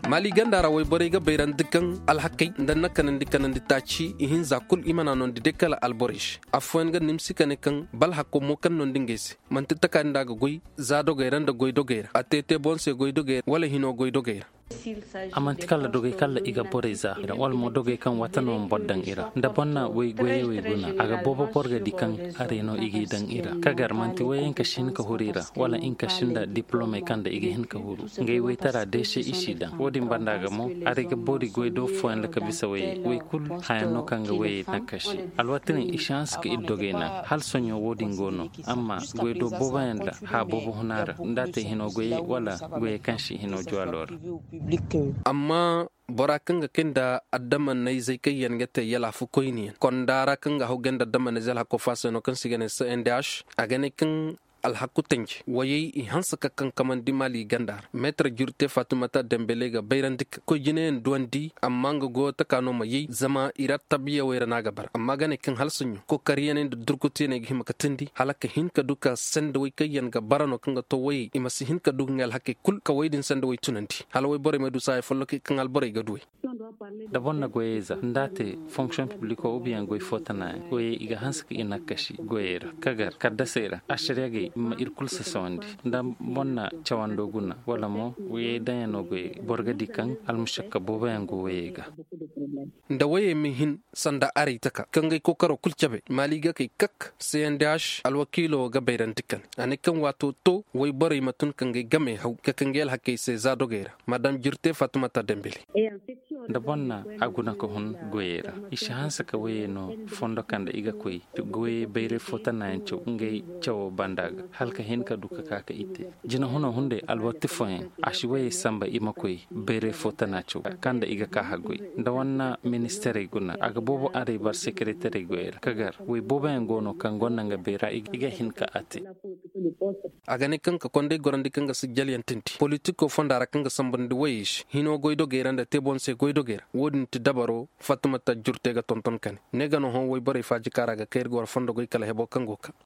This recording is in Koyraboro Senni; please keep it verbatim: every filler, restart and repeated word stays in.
Maali ganda ra woyborey ga bayrandi kaŋ alhakey nda nakanandi kanandi taaci ihinza kul i mana noondi day kala alborey se. Affooyaŋ ga nimsi ka ne kaŋ bala hakko mo kaŋ noondi ngey se, manti taka nda a ga goy za dogey ra nda goy dogey ra a te te boŋ se goy dogey ra wala hino goy dogey ra. A manti kala dogey kala i ga borey za wala mo dogey kaŋ wata no ma boro daŋ i ra nda boro na way goyey wey guna a ga boobo boro ga di kaŋ a reeno i g'i daŋ i ra kagar manti wayey nka si hin ka huru i ra wala nka si nda diplomey kaŋ nda i ga hin ka huru. Ngey waytara day se i s'i daŋ wo-din banda ga mo, aray ga boori goy do fooyaŋ ra ka bisa wayey way kul hayaŋ no kaŋ ga wayey nakkasi. Alwaati din i si hanse ka ir dogey naŋ hala soɲõ wo-din go no. Amma goy do booboyaŋ ra haya boobo huna ra nda a te hino goyey wala goyey kaŋ si hino juwalo ra. Amma bora kaŋ ga kay nda adama nayzey kaŋ yaŋ ga te yalaafu koyniyaŋ konda ra kaŋ ga haw gay nda adama nayzey alhakko faaseno kaŋ se i ga ne cndh, a ga ne kaŋ alhaku tanji wayey i hanse ka kankamandi maali ganda ra meetar jurte fatimata dembele ga bayrandi ka koy jinayaŋ duwandi amma nga goyo taka no ma yay zama i ra tabbiyawey ra no a ga bara amma ga ne kaŋ hala soɲõ kokariyaney nda durkutuyaney ga hima ka tindi hala ka hin ka du ka sendawey kaŋ yaŋ ga bara no kaŋ ga to wayey i ma si hin ka du ga ngey alhakey kul ka wey din sendawey tunandi hala wayborey ma du saaya folloki kaŋ alborey ga duwey. Da boro na goyey za nda a te fonksiyoŋ pibliko ubiyaŋ goy fo tana yaŋ goyey i ga hanse ka i nakkasi goyey ra kagar kaddasey ra ašariya gay ma ir kul sasawandi. Nda boro na cawando guna wala mo woyey daŋyaŋo goyey boro ga di kaŋ almušakka booboyaŋ go woyey ga. Nda woyey ma hin sanda aray taka kaŋ gay kookaro kul cabe maali ga kay kak cndh alwakiilo ga bayrandi kane a ne kaŋ waato to woy borey ma tun ka ngey game haw ka kay ngey alhakey se za dogey ra madam jirte fatimata dembele. Nda boro na a guna ka hun goyey ra i si hanse ka woyey no fondo kaŋ nda i ga koy goyey bayray fo tana yaŋ caw ngey cawo banda ga hala ka hin ka du ka ka ka i te. Jinahuna hunday alwatti fooyaŋ a si woyey samba i ma koy bayray fo tana caw kaŋ nda i ga ka haggoy nda wanna ministarey guna a ga boobo aray bar sekeretarey goyey ra ka gar woy booboyaŋ go no kaŋ gonda nga bayra i ga hin ka a te. A ga ne kaŋ ka konday gorandi kaŋ ga sijjalyaŋ tindi politiko fonda ra kaŋ ga sambandi woyey se hino goydogey ra nda te boŋ se goydogey ra wo-din ti dabaro fatimata jurte ga tonton kane ne ga no hõ woyborey faaji kaŋ ra ga kay ir ga war fondo goy kala hebo kaŋ go ka.